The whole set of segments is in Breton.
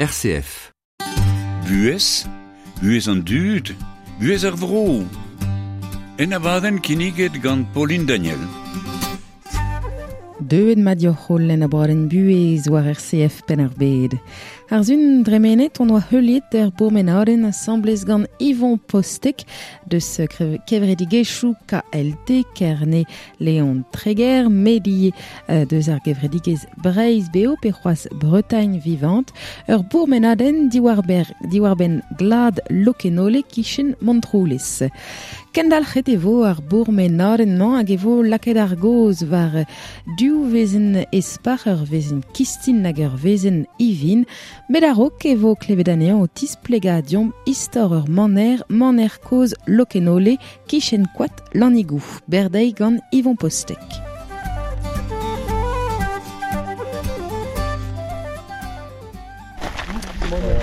RCF. Buhez, buhez an dud, buhez ar vro. En abadenn kinniget gant Pauline Daniel. Deuet mat dioc'h holl en abadenn buhez war RCF Penn-ar-Bed. Ar sun dremenet on oa heuliet er bourmenadenn asambles gant Yvon Postek deus kevredigezhioù KLT Kerne Leon Treger Medi deus ar gevredigezh Breizh Beo pe c'hoazh Bretagne Vivante ur bourmenadenn diwar-benn glad Lokenole kichen Montroulez. Kendalc'het e vo ar bourmenadenn-mañ hag e vo lakaet ar gaoz war div vezenn espar, ur vezenn kistin hag ur vezenn ivin, met a-raok e vo klevet anezhañ o tisplegañ deomp istor ur maner, maner kozh Lokenole, kichen koad Lannigou. Berdeiz gant Yvon Postek.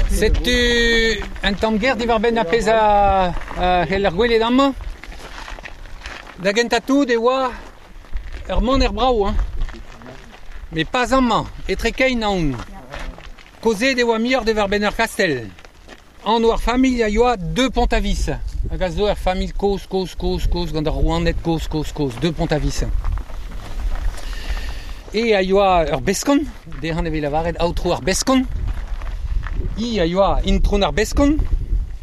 Setu un tamm ger diwar-benn ar pezh a c'heller gwelet amañ. Da gentañ tout e oa ur maner brav, hein. Met pas amañ, etre kein aon. Kaozeet e oa muioc'h diwar-benn ur kastell. Anv ar familh a yoa De Pontavis, hag a zo ur familh kozh, kozh, kozh, kozh, gant ar rouaned kozh, kozh, kozh, De Pontavis. E a yoa ur beskont, dezhañ e vez lavaret aotrou ar beskont. I a yoa intron ar beskont,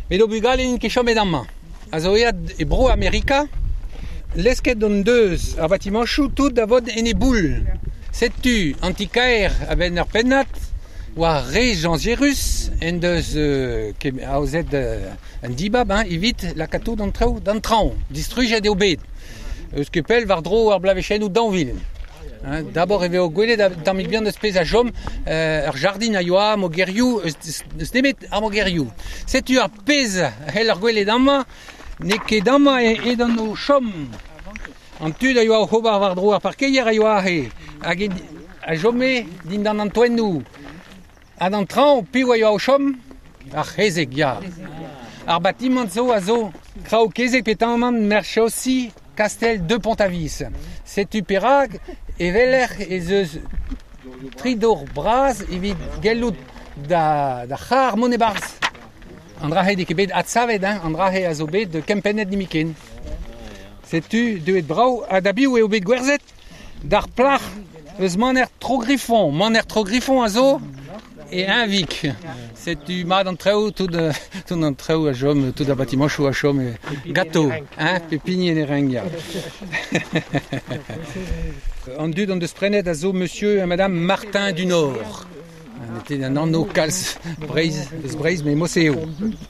met o bugale n'int ket chomet amañ. A zo aet e bro Amerika, lesket hon deus ar batimañchoù tout da vont en e boull. Setu an ti-kaer a-benn ur pennad war re Jean Gérus en deus aozet un dibab hein, evit lakaat tout an traoù d'an traoñ. Distrujet eo bet. Eus ket pell war-dro ar bloavezhennoù 2000. Hein, d'abord e vezo gwelet un tammig bihan eus pezh a chom ur jardin a yoa mogerioù, eus nemet ar mogerioù. Setu ar pezh a c'heller gwelet amañ, n'eo ket amañ edan o chom. An tud a yoa oc'h ober war-dro ar parkeier a yoa aze, hag a chome dindan an toennoù. Ha d'an traoñ, piv a yoa o chom? Ar c'hezeg, ya. Ar batimant zo a zo kraou kezeg petamant merchossi Kastell de Pontavis. Setu perak e weler ez eus tri dor bras evit gellout da c'har mont e-barzh. An dra-se n'eo ket bet adsavet, hein, an dra-se a zo bet kempennet nemetken. Setu deuet brav ha da biv eo bet gwerzhet? D'ar plac'h eus maner Trogriffon. Maner Trogriffon a zo e Eñvig. Setu mat an traoù, tout, tout an traoù a chom, tout ar batimañchoù a chom ganto, hein, pep hini en e renk, ya. An dud hon deus prenet a zo monsieur ha madame Martin du Nord. N'était un anv kalz Breizh, eus Breizh, met mose eo.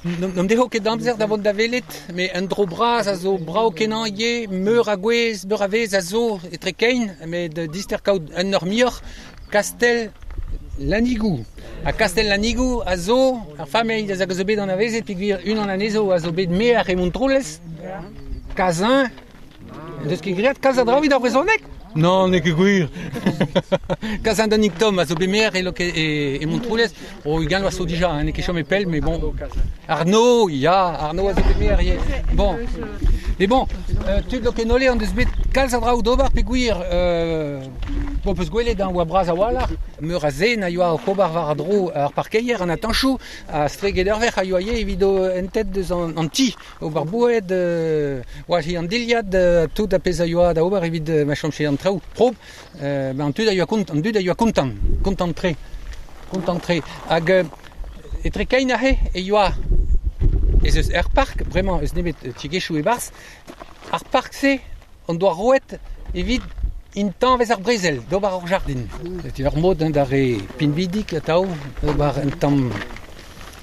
N'am deho ket amzer da vont da welet, met un dro bras a zo brav-kenañ ivez, meur a gwezh, meur a wezh a zo etre kein, met dister kaout un eur muioc'h, Kastell Lannigou. Ha Kastell Lannigou a zo ar familh a zo bet anavezet peogwir unan anezho a zo bet maer e Montroulez, Kazin. En deus ket graet kalz a draoù evit ar brezhoneg? Non, n'eo ket gwir. Kazin Danig Tom a zo bet maer e, e, e Montroulez. Oh, ugent vloaz zo dija, hein, n'eo ket chomet pell, mais bon. Arnaud, ya, Arnaud a zo bet maer ivez. Bon. Mais bon, tud Lokenole en deus bet kalz a draoù d'ober peogwir Bon, peus gwelet hein, oa bras a-walc'h, meur a zen a yoa oc'h ober war-dro ar parkeier, an atanchoù, ha estreget ur wec'h a yoa ivez evit o en tête deus an, an ti, ober boued, walc'hiñ an dilhad, tout ar pezh a yoa da ober evit ma chomfe an traoù prop. Ben an tud a yoa kont, an dud a yoa kontant, kontant-tre, kontant-tre. Hag etre kein aze e yoa ez eus ur park, bremañ eus nemet tiegezhioù e-barzh, ar park-se hon doa roet evit intañvez ar brezel d'ober ur jardin. Setu ur mod hein, d'ar re pinvidik atav ober un tamm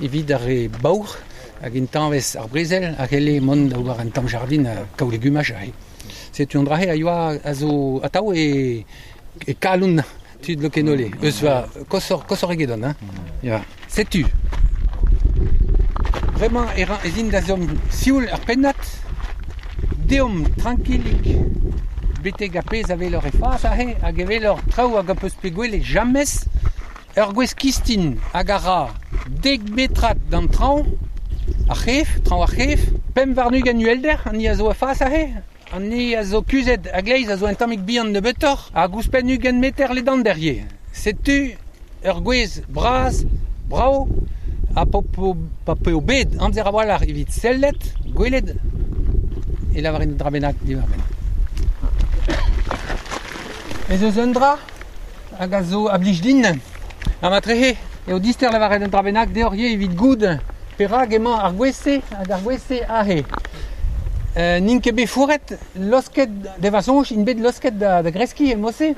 evit ar re baour hag intañvez ar brezel a c'helle mont da ober un tamm jardin ha kaout legumaj aze. Setu an dra-se a yoa a zo atav e, e kalon tud Lokenole. Eus va koshoc'h koshoc'h egedon. Hein. Ya. Setu. Bremañ e ra ez in da zont sioul ur pennad. Deomp trankilik betek ar pezh a welor e fas aze hag e welor traoù hag a peus bet gwelet james. Ur gwez kistin hag a ra dek metrad d'an traoñ, ar c'hef, traoñ ar c'hef, 25 uhelder an hini a zo a-fas aze, an hini a zo kuzhet a-gleiz a zo un tammig bihan nebeutoc'h hag ouzhpenn 20 meter ledander ivez. Setu ur gwez bras Bravo, ha pa peo bet amzer a-walc'h evit sellet, gwelet, e lavarin dra bennak diwar-benn. Ez eus un dra hag a zo a blij din, ha matrehe eo dister lavaret un dra bennak deoc'h ivez evit goût perak emañ ar gwez-se hag ar gwez-se aze. N'int ket bet fourret, losket, deva soñj int bet losket da greskiñ e mod-se.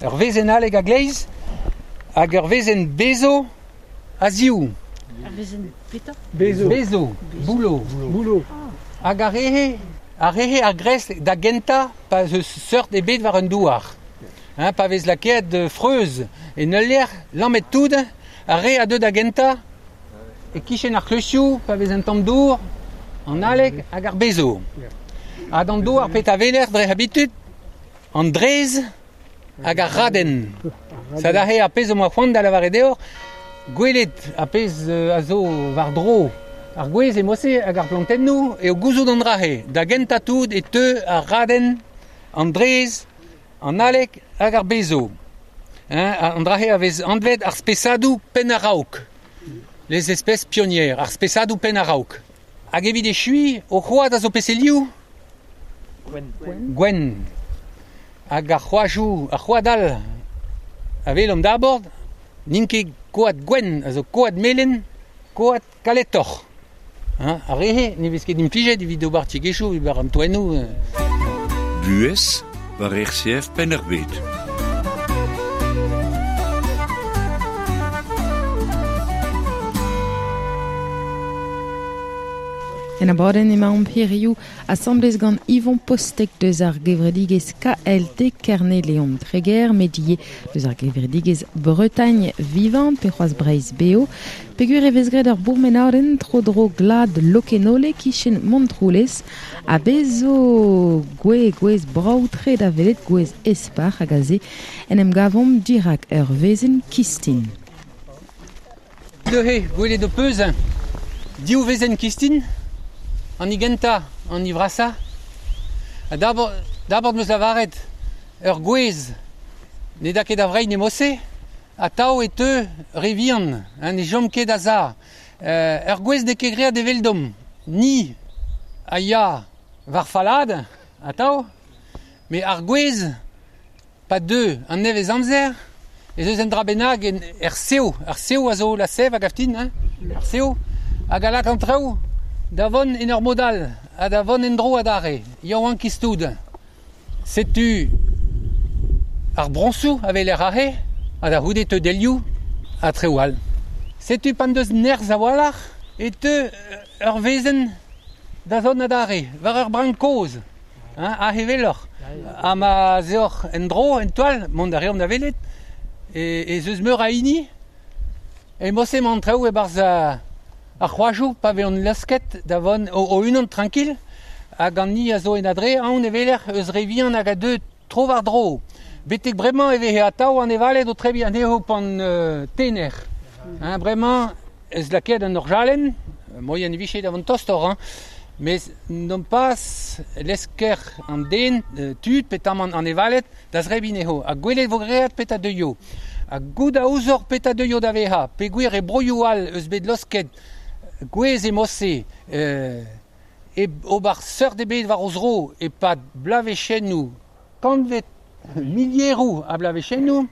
Ur wezenn aleg a-gleiz hag ur wezenn bezo a-ziv. Ar wezenn petra? Bezo. Bezo, boulo. Boulo. Hag ar re-he a gresk da gentañ pa eus seurt ebet war un douar. Hein, pa vez lakaet freuz en ul lec'h, lammet tout, ar re a deu da gentañ e-kichen ar kleuzioù, pa vez un tamm dour, an aleg hag ar bezo. Ha d'an douar petra weler dre habitud, an drez hag ar radenn. Sa da ar pezh o c'hoant da lavaret deoc'h, gwelet ar pezh a zo war-dro ar gwez e mod-se hag ar plantennoù eo gouzout an dra-se. Da gentañ tout e teu ar radenn, an drez, an aleg hag ar bezo. Hein, an dra-se a vez anvet ar spesadoù penn-a-raok. Les espèces pionnières, ar spesadoù penn-a-raok. Hag evit echuiñ, o c'hoad a zo peselioù? Gwenn. Gwenn. Hag ar c'hoajoù, ar c'hoad all a welomp d'abord, n'int ket koad gwenn, a zo koad melen, koad kaletoc'h. Hein, ar re-se ne vez ket implijet evit ober tiegezhioù, evit an toennoù. Buhez war RCF Penn-ar-Bed. En abadenn emaomp hiziv asambles gant Yvon Postek deus ar gevredigezh KLT Kerne-Leon Treger, met ivez deus ar gevredigezh Bretagne Vivante pe c'hoazh Breizh Beo. Peogwir e vez graet ur bourmenadenn tro-dro glad Lokenole kichen Montroulez ha bez zo gwez brav-tre da welet gwez espar hag aze en em gavomp dirak ur wezenn kistin. Neuze, gwelet ho peus div wezenn kistin, an igentañ, an ivrasa. Ha d'abord meus lavaret ur gwez ne da ket a vrein e mod-se, atav e teu re vihan, hein, ne chom ket a-za. Ur gwez n'eo ket graet eveldomp, ni a ya war falad, atav, met ar gwez, pa deu an nevez amzer, ez eus un dra bennak er sev, ar sev a zo la sev hag aftin, hein, ar sev, hag a lak an traoù da vont en ur mod all, ha da vont en-dro adarre, yaouankiz tout. Setu ar broñsoù a weler aze, ha da c'houde teu delioù ha traoù all. Setu pan deus nerzh a-walc'h e teu ur wezenn da zont adarre, war ur brank kozh, hein, aze weloc'h. Ha ma 'z eoc'h en-dro, en toal, mont a reomp da welet, ez eus meur a hini, e mod-se emañ an traoù e-barzh ar c'hoajoù pa vezont lasket da vont o-unan tranquil, hag an ni a zo en adre, aon e weler eus re vihan hag a deu tro war-dro. Betek bremañ e veze atav an evaled o trebiñ anezho pan tener. Hein, bremañ ez lakaet an orjalenn, moien e vije da vont tostoc'h, hein, mes non pas lesker an den, tud petamant an evaled da zrebiñ anezho. Ha gwelet vo graet petra deuio. Ha goût a ouzoc'h petra deuio da vezañ, peogwir e broioù all eus bet losket gwez e mod-se, e ober seurt ebet war o zro e-pad bloavezhennoù, kantved milieroù a bloavezhennoù,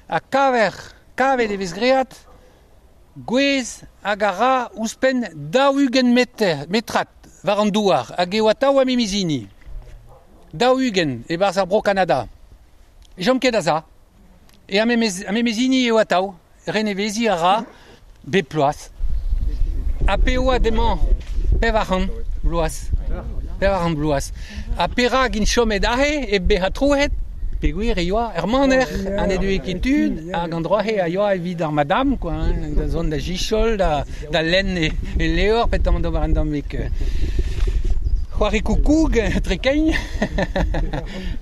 ha kavet e vez graet gwez hag a ra ouzhpenn 40 metrad war an douar, hag eo atav a memes hini. 40 e-barzh ar Bro-Kanada. E chom ket a-za. E a memes hini eo atav, reneveziñ a ra bep ploaz. Ha p'eo demañ 400 bloaz. 400 bloaz. Ha perak int chomet aze e bezañ troet, peogwir e yoa er maner an edoe ket tud, hag an dra-se a yoa evit ar madame, quoi, hein, da zont da jichol, da lenn e levr, petamant d'ober un tammig c'hoari koukoug, trekein.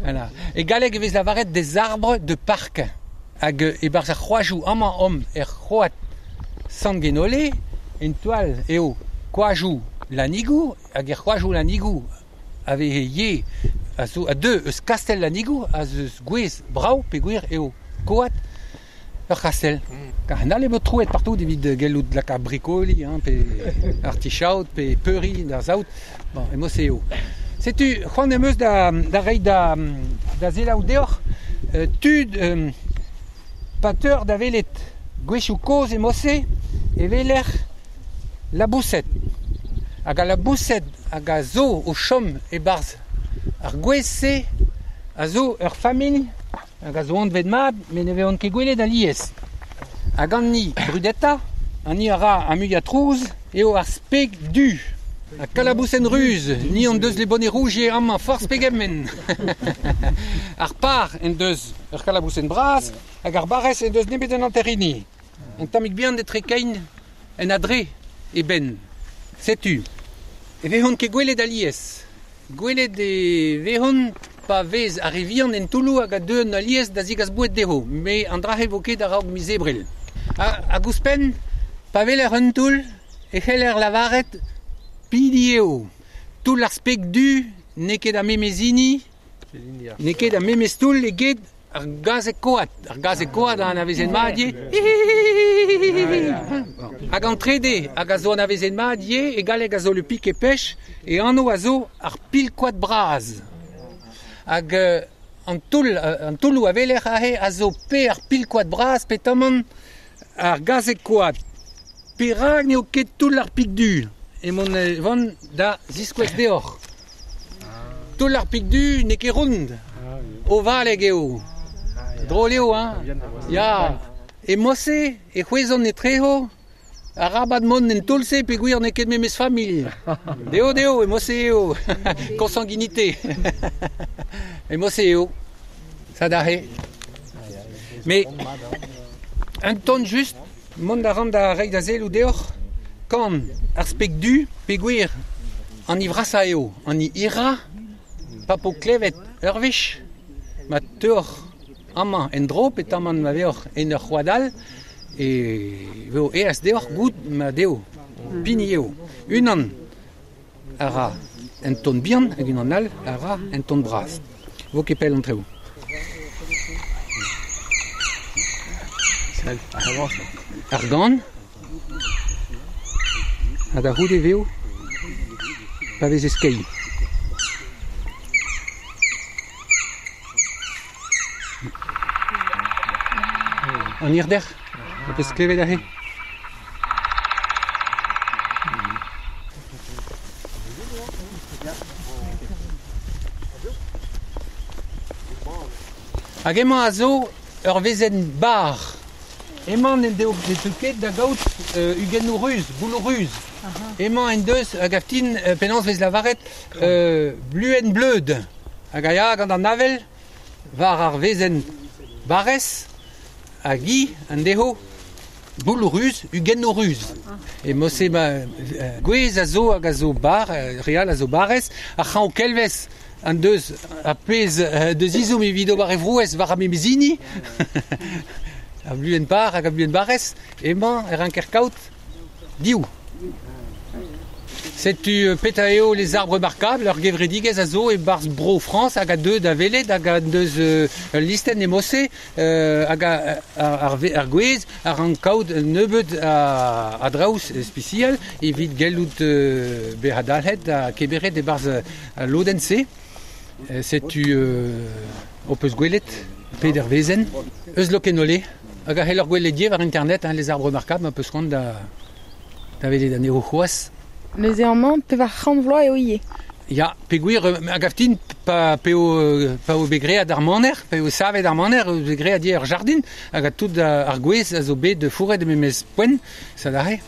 Voilà. E galleg e vez lavaret des arbres de parc. Hag e-barzh ar c'hoajoù amañ omp er c'hoad Sant-Genole, en toal eo koajoù Lanigou, hag er c'hoajoù Lanigou a veze ye a zo a deu eus Kastell Lanigou, a zeus gwez brav peogwir eo koad Ur c'hastell. Kar n'all eo troet partout evit gellout laka brikoli, hein, pe artichaut, pe peuri d'ar saout. Bon, e mose eo. Setu, c'hoant em eus da reiñ da selaou deoc'h tud pateur da welet gwechou kozh e mose e weler laboused. Hag a laboused hag a zo o chom e-barzh ar gwez-se a zo ur familh hag a zo anvet mat, met ne vezont ket gwelet alies. Hag an ni brudeta, an ni a ra a muiañ trouz, eo ar speg du. Ha kalabousenn ruz, ni an deus le bonnet rouge amañ forzh pegement. Ar par en deus ur kalabousenn bras, hag ar barrez en deus nemet un hanter-hini. Un tammig bihan etre kein en adre e benn. Setu, e vezont ket gwelet alies. Gwelet e vezont pa vez ar re vihan en toulloù hag a deuont alies da zigas boued dezho, met an dra-se vo ket a-raok miz Ebrel. Hag ouzhpenn, pa weler un toull, e c'heller lavaret pidi eo. Toull ar speg du n'eo ket ar memes hini, n'eo ket ar memes toull eget ar gazeg koad. Ar gazeg koad a anavezen mat ivez. Hag an trede hag a zo anavezet mat ivez, e galleg a zo le pic pêche, e anv a zo ar pil-koad bras. Hag an toulloù a weler aze a zo pe ar pil-koad bras pe tammant ar gazeg koad. Perak n'eo ket toull ar pik du? Emaon vont da ziskouez deoc'h. Toull ar pik du n'eo ket ront. Ovalek eo. Drol eo, hein? Ya. E mose, e c'hwezont etrezo, arabat mont en toull-se peogwir n'eo ket memes familh. Deo, deo, e mose eo. Consanguinité. E mose eo. Ça d'arrêt. Mais un ton just, mont a ran da reiñ da selloù deoc'h, kan ar speg du peogwir an ivrasa eo, an i ira, pa po klevet ur wech, ma teoc'h amañ en dro, petamant ma veoc'h en ur c'hoad all, e vo aes deoc'h goût ma deo, pini eo. Unan a ra un ton bihan hag unan all a ra un ton bras. Vo ket pell an traoù. Ar gan, ha da c'houde veo, pa vez e skeiñ. An hirder, a peus klevet aze. Hag emañ a zo ur wezenn bar. Emañ n'en deo ket da gaout ugennoù ruz, bouloù ruz. Emañ en deus hag aftin penaos vez lavaret bluenn bleud. Hag a ya gant an avel war ar wezenn barrez hag hi an dezho bouloù ruz, ugennoù ruz. E mose ma gwez a zo hag a zo bar, real a zo barrez, ar c'hañv kelvez an deus a pezh deus izoum evit ober e vrouez war ar memezini. A bluenn bar hag a bluenn barrez, emañ e ranker kaout div. Setu petra eo les arbres remarquables, ur gevredigezh a zo e-barzh Bro-Frañs hag a deu da welet hag a deus ul listenn e mose hag ar gwez a rank kaout un nebeud a draoù spesial evit gellout bezañ dalc'het ha kemeret e-barzh al lodenn-se. Setu ho peus gwelet peder wezenn eus Lokenole hag a c'heller gwelet ivez war internet, hein, les arbres remarquables, ma peus c'hoant da welet anezho c'hoazh. Neuze amañ pevar c'hant vloaz eo ivez. Ya, peogwir hag aftin pa eo bet graet ar maner, pa eo savet ar maner, eo bet graet ivez ur jardin hag a tout ar gwez a zo bet fourret e memes poent, ça d'arrêt.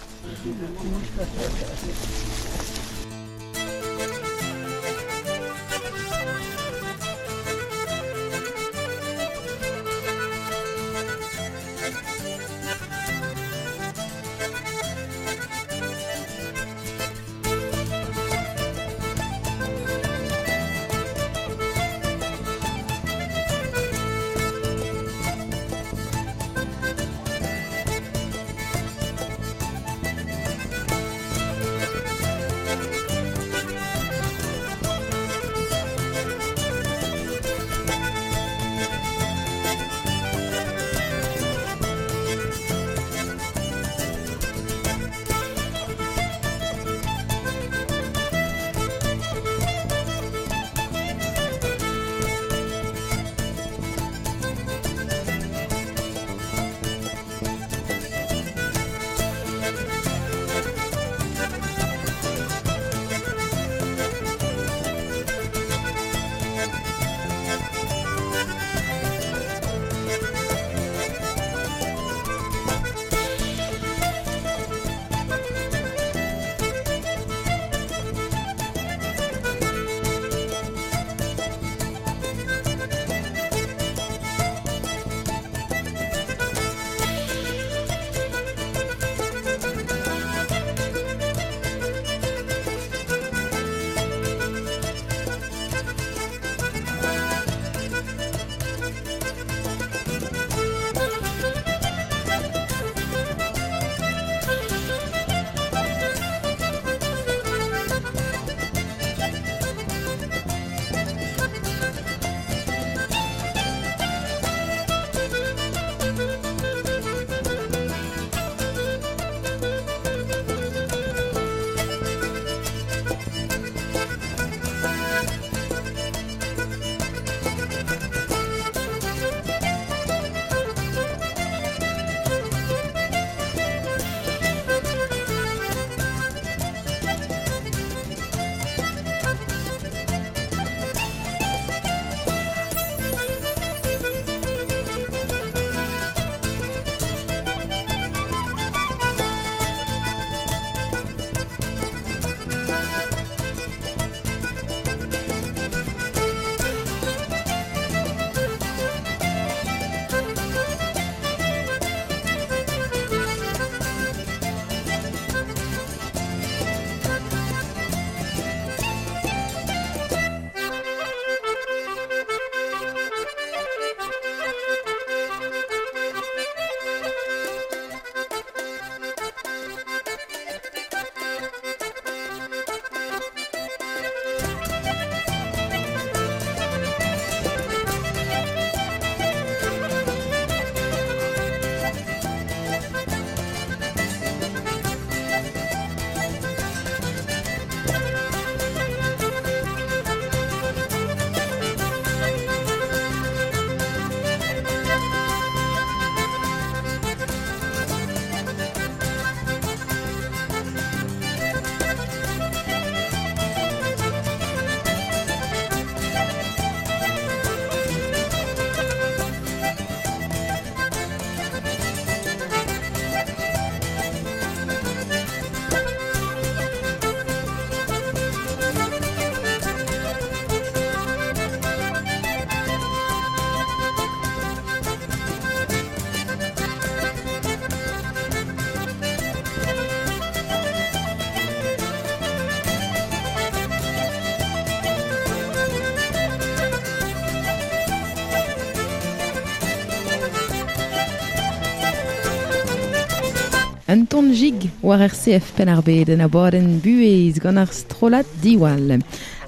Un ton jig war RCF Penn-ar-Bed en abadenn buhez gant ar strollad Diwall.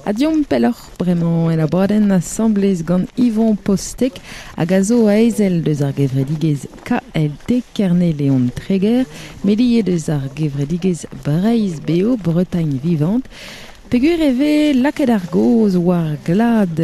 Ha diomp pelloc'h bremañ en abadenn asambles gant Yvon Postek hag a zo aezel deus ar gevredigezh KLT Kerne-Leon Treger, met ivez deus ar gevredigezh Breizh Beo Bretagne Vivante. Peogwir e vez lakaet ar gaoz war glad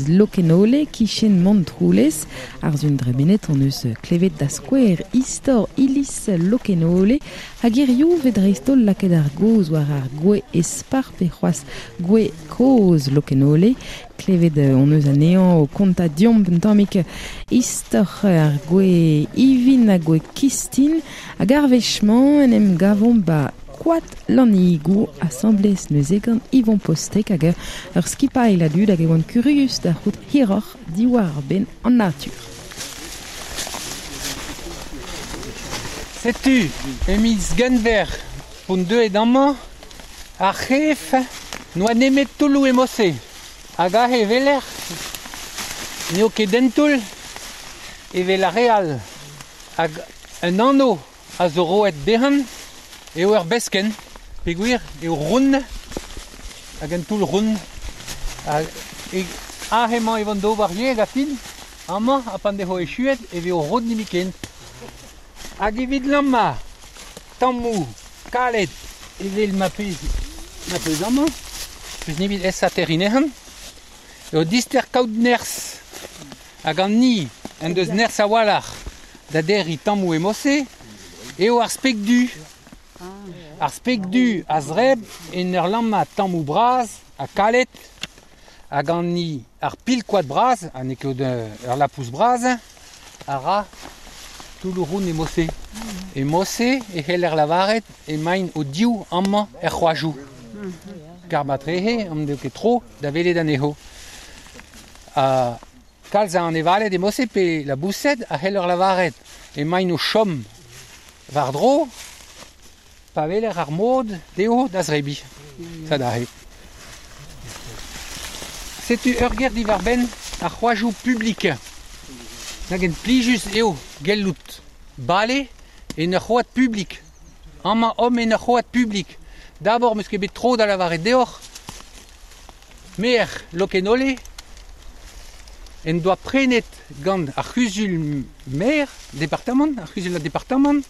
Lokenole kichen Montroulez, ar sun dremenet hon eus klevet da skouer istor iliz Lokenole, hag hiziv 'vez dreist-holl lakaet ar gaoz war ar gwez espar pe c'hoazh gwez kozh Lokenole. Klevet hon eus anezhañ o kontañ deomp un tammig istor ar gwez ivin ha gwez kistin, hag ar wech-mañ en em gavomp 'ba Koad Lannigou asambles neuze gant Yvon Postek hag ur skipailh a dud hag e oant kurius da c'hoût hiroc'h diwar-benn an natur. Setu, e miz Genver p'on deuet amañ, ar c'hef n'oa nemet toulloù e mod-se. Hag aze e weler n'eo ket un toull evel ar re all. Hag un anv a zo roet dezhañ eo ur beskenn peogwir eo ront hag un toull ront. Hag aze emañ e vont d'ober ivez hag a-fin, amañ ha pan devo echuet e vezo ront nemetken. Hag evit lammañ tammoù kalet evel ma peus amañ, peus nemet aesañ terriñ anezhañ, eo dister kaout nerzh. Hag an ni en deus nerzh a-walc'h da derriñ tammoù e mod-se eo ar speg du. Ar speg du a zreb en ur lammañ tammoù bras ha kalet, hag an ni ar pil-koad bras, ha n'eo ket ur lapous bras, a ra toulloù round e mod-se. E mod-se e c'heller lavaret emaint o-div amañ er c'hoajoù. Kar matrehe n'eo ket tro da welet anezho. Ha kalz a anevaled e mod-se pe laboused a c'heller lavaret emaint o chom war-dro pa weler ar mod dezho da zebriñ. Sad aze. Setu ur ger diwar-benn ar c'hoajoù publik. Nag en plijus eo gellout bale en ur c'hoad publik. Amañ omp en ur c'hoad publik. D'abord 'm eus ket bet tro da lavaret deoc'h maer Lokenole en doa prenet gant ar c'huzul maer departamant, ar c'huzul a departamant,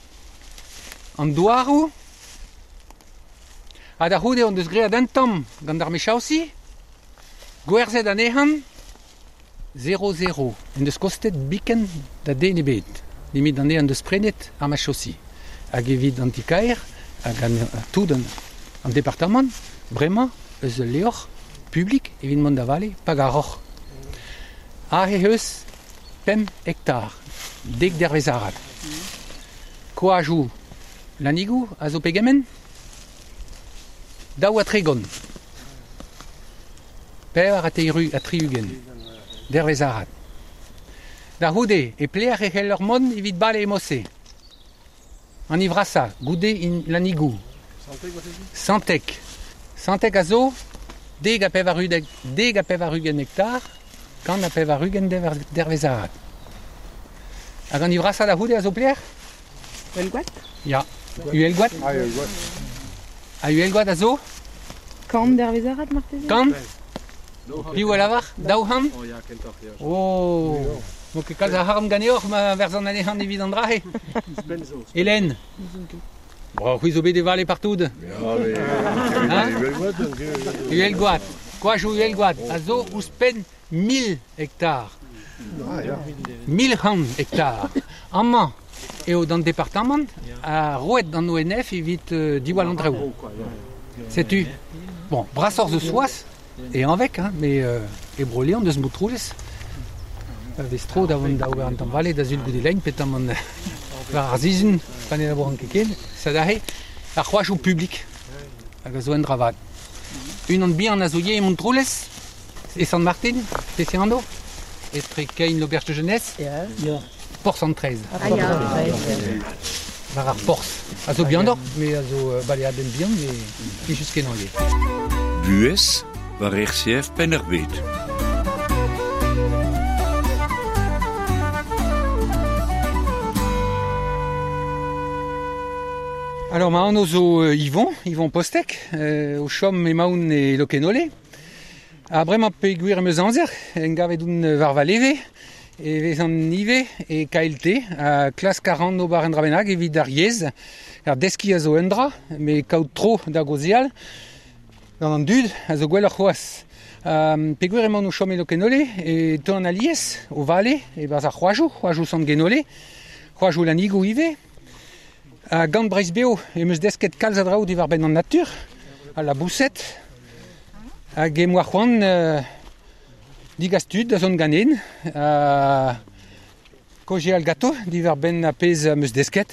an douaroù. Ha da c'houde hon deus graet un tamm gant ar mechaosi, gwerzhet anezhañ 0-0. En deus kostet biken da den ebet, nemet an en deus prenet ar machosi. Hag evit an ti-kaer hag an tout an departamant, bremañ eus ul levr publik evit mont da vale pa garoc'h. Aze eus 5 hektar, 10 dervezh arat. Koajoù Lannigou a zo pegement? 32. 64 dervezh arat. Da c'houde e pelec'h e c'heller mont evit bale e mod-se. An ivrasañ, goude in Lannigou. Santeg. Santeg a zo 90 hektar, 180 dervezh arat. Hag an ivrasañ da c'houde a zo pelec'h? Uhelgoad? Ya, Uhelgoad. Ha Uhelgoad a zo? 100 dervezh arat marteze? 100? Piv a lavar? 200? Oh, n'o ket kalz a arc'hant ganeoc'h ma verzan anezhañ evit an dra-se. Hélène? Bon, c'hwi zo bet e vale partout. Hein? Uhelgoad. Koajoù Uhelgoad a zo ouzhpenn 1000 hektar. 1100 hektar. Amañ eo d'an departamant ha roet d'an ONF evit diwall an traoù. Setu, bon, brasoc'h zo soaz e Hañveg, hein, met e Bro-Leon deus Montroulez. Pa vez tro da vont da ober an tamm vale da sul goude lein, petamant war ar sizhun, pa ne labouran ket ken, sad aze ar c'hoajoù publik hag a zo un dra vat. Unan bihan a zo ivez e Montroulez, e Sant-Martin, pe anv, etre kein l'auberge de jeunesse, Porzh an Traezh. War ar porzh. A zo bihanoc'h, met a zo baleadenn bihan, met plijus-kenañ ivez. Buhez war RCF Penn-ar-Bed. Alors ma anv zo Yvon, Yvon Postek, o chom emaon e Lokenole. Ha bremañ peogwir em eus amzer, en gavet oun war va leve, e vez an ive e KLT, a klask a ran ober un dra bennak evit ar yezh, ar deskiñ a zo un dra, met kaout tro da gaozeal gant an dud a zo gwelloc'h c'hoazh. Peogwir emaon o chom e Lokenole, e teuan alies o vale e-barzh ar c'hoajoù, c'hoajoù Sant-Genole, c'hoajoù Lanigoù ivez. Ha gant Breizh Beo em eus desket kalz a draoù diwar-benn an natur, al laboused, hag em boa c'hoant digas tud da zont ganin, ha kaozeal ganto diwar-benn ar pezh am eus desket.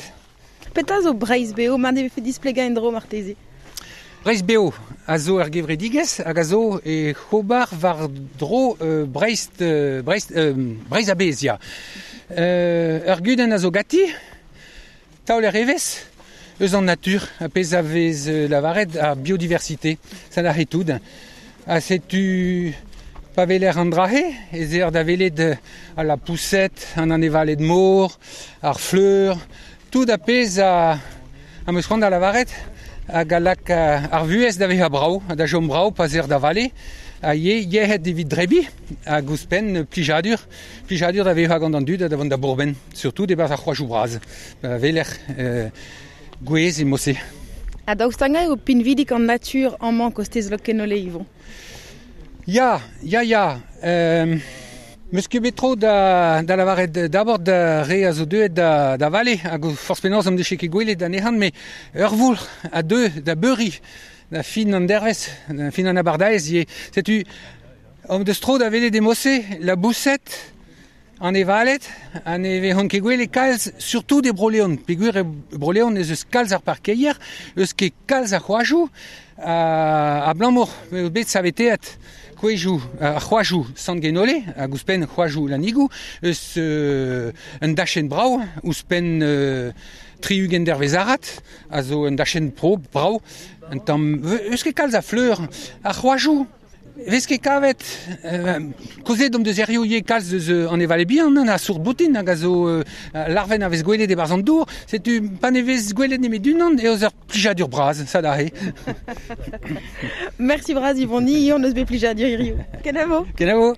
Petra zo Breizh Beo, mar ne vefe displegañ en-dro marteze? Breizh Beo a zo ur gevredigezh hag a zo e c'hobar war-dro Breizh, Breizh, Breizh a-bezh, ya. Ur gudenn a zo ganti, taoler evezh eus an natur, ar pezh a vez lavaret ar biodiversité, ça n'a tout. Ha setu pa weler an dra-se, ez eer da welet al lapoused, an anevaled mor, ar fleur, tout ar pezh a am eus c'hoant da lavaret hag a lak ar vuhez da vezañ brav, da chom brav pa 'z eer da vale, ha ivez yec'hed evit drebiñ hag ouzhpenn plijadur, plijadur da vezañ gant an dud ha da vont da bourmen, surtout e-barzh ar c'hoajoù bras, pa weler gwez e mod-se. Ha daoust hag-eñ eo pinvidik an natur amañ kostez Lokenole, Yvon? Ya, ya, ya. Meus ket bet tro da, da lavaret d'abord da re a zo deuet da, da vale, hag forzh penaos am deche ket gwelet anezhan, met ur voulc'h a deu da beuriñ da fin an dervezh, da fin an abardaez ivez. Setu, am deus tro da welet e mod-se, laboused, anevaled, ha ne vezont ket gwelet kalz, surtout e Bro-Leon. Peogwir e Bro-Leon ez eus kalz ar parkeier, eus ket kalz a c'hoajoù, abalamour m'eo bet saveteet kouezhioù, ar c'hoajoù Sant-Genole, hag ouzhpenn c'hoajoù Lanigoù, eus un dachenn brav, ouzhpenn 60 dervezh arat, a zo un dachenn pro brav, un tamm, eus ket kalz a fleur, ar c'hoajoù vez ket kavet, kaozeet omp deus hiziv ivez kalz deus anevaled bihan, a sourd boutin hag a zo larvenn a vez gwelet e-barzh an dour, setu pa ne vez gwelet nemet unan eo ur plijadur bras, ça da Merci bras Yvon, ni hon eus bet plijadur hiziv. Kenavo. Kenavo.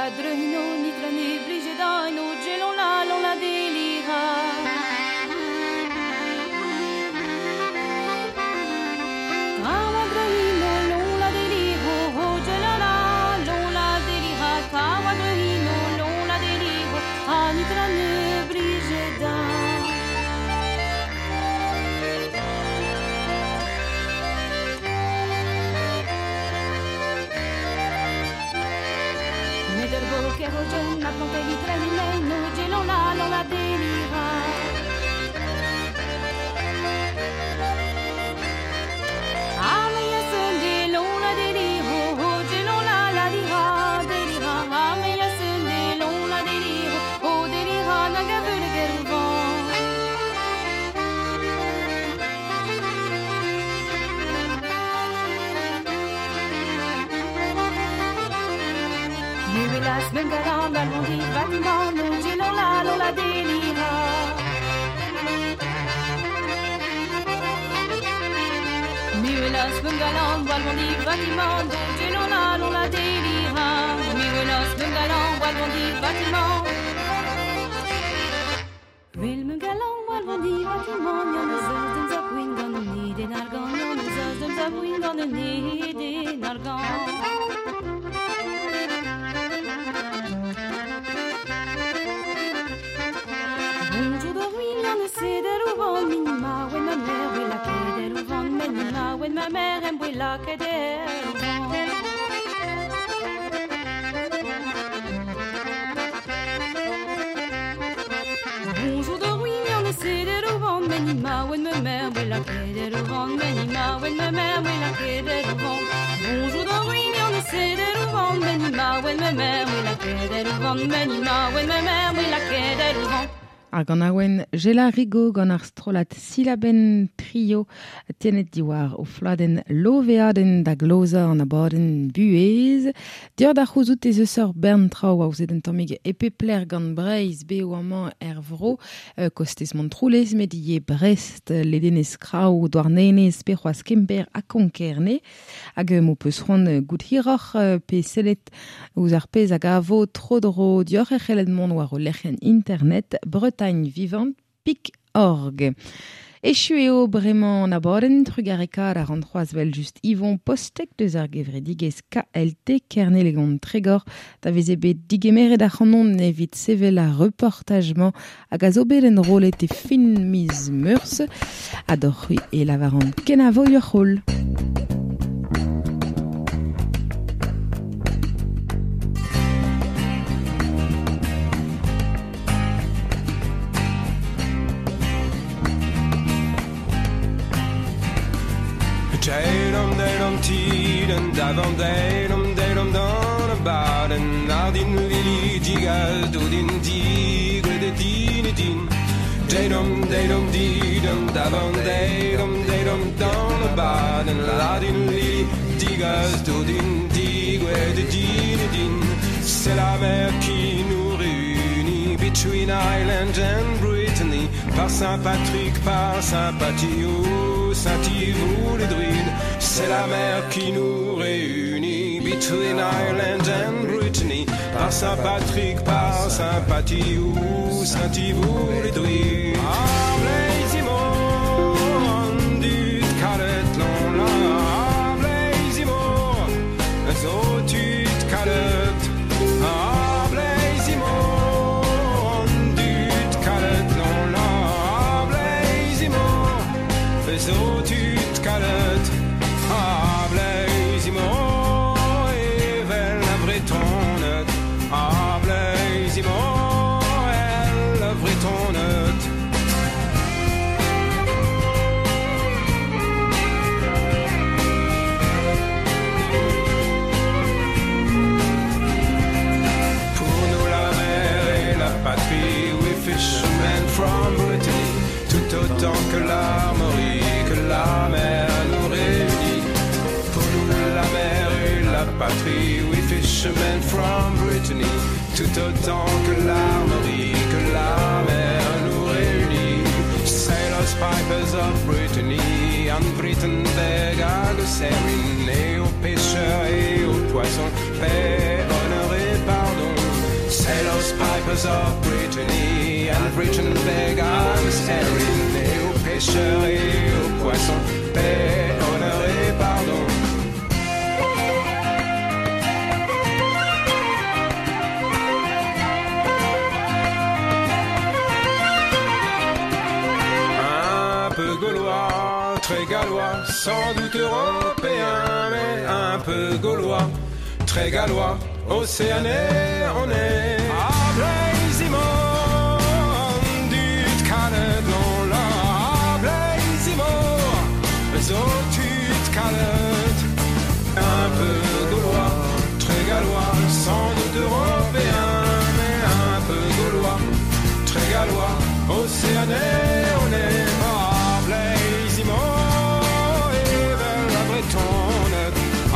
Trawadrehino, nitrane, brigedaino, gelon la, lon la delira. Trawadrehino, lon la deliro, oh, gelon la, lon la delira. Trawadrehino, lon la deliro, ah, nitrane, brigedaino. Kerogen, la plante litrane, no gelon la, lon la delira. Bengalan, Almondi, Vatiman, gelon la, lon la delira. Mirelas, Bengalan, Walmondi, Vatiman, gelon la, lon la delira. Mirelas, Bengalan, Walmondi, Vatiman. Vil Bengalan, Walmondi, Vatiman, yon eus eus dem zapouin gant an niden argant, yon eus eus dem zapouin gant an niden argant. Ma mère aime la keder. Bonjour de ruine, on essaie de rouvant, menima, when ma mère, la keder rouvant, menima, when ma mère, la keder rouvant. Bonjour de ruine, on essaie de rouvant, menima, when ma mère, la keder rouvant, menima, when ma mère, la keder rouvant. Ar gant aouen Jela Rigo gant ar strolat silaben trio tenet diwar o fladen loveaden da gloza an abadenn buez. Dior da c'houzout ez eus ur bern traoù aozet un tammig e pepler gant Breizh beo amañ er vro, kostez Montroulez, met ivez Brest, Ledenez Kraou, Douarnenez, pe c'hoazh Kemper ha Konkerne. Hag m'ho peus c'hoant gout hiroc'h pe sellet ouzh ar pezh hag a vo tro-dro dioc'h e c'hellet mont war o lec'hienn internet Bretagne Vivante pik org. Echu eo bremañ an abadenn trugarekaat ar an c'hoazh vel just Yvon Postek deus ar gevredigezh KLT Kernelegon Tregor da veze bet digemeret ar c'hanon evit sevel ar reportajement hag a zo bet enrollet e fin miz Meurzh ha doc'h e lavaran kenavo ur c'holl. Deirom, deirom, tiren, davan, deirom, deirom, dan, baden, ardin, lili, digal, dodin, digwe, de din, din. Deirom, deirom, didem, davan, deirom, deirom, dan, baden, ardin, lili, digal, dodin, digwe, de din, din. C'est la mer qui nous réunit, between Ireland and Brittany, par Saint-Patrick, par Saint-Patio, Saint-Yves ou les druides. C'est la mer qui nous réunit, between Ireland and Brittany, par Saint-Patrick, par Saint-Patio, Saint-Yves ou les druides. Ah, Blaisimo, dut kalet l'on la, ah, Blaisimo, zo tut kalet, ah, Blaisimo, dut kalet l'on la, ah, Blaisimo, zo tut kalet, ah, Blaisimo, evel a Bretonet, ah, Blaisimo, el a Bretonet. Pour nous la mer et la patrie, we fishermen from Brittany, tout autant que l'Armorique, que la mer nous réunit. Pour nous la mer et la patrie, we fishermen from Brittany, tout autant que l'Armorique, que la mer nous réunit. Sailors, pipers of Brittany, en Britain et aux pêcheurs et aux poissons, paix, honneur et pardon. House pipers of Brittany and Britain beg arms Erin et aux pêcheurs et aux poissons, paix, honneur et pardon. Un peu gaulois, très gallois, sans doute européen, mais un peu gaulois, très gallois, océané, on est. A Blaizimor, dut kalet non la, a Blaizimor, zo tut kalet. Un peu gaulois, très gallois, sans doute européen, mais un peu gaulois, très gallois, océané, on est. A Blaizimor, evel la bretonne, a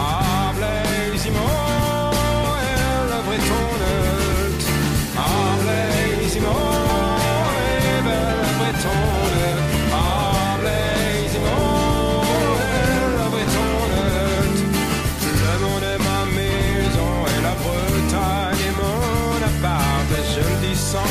Blaizimor, el la bretonne, a Blaizimor, evel la bretonne, a Blaizimor, el la bretonne. Le monde est ma maison et la Bretagne est mon appart. Je le dis sans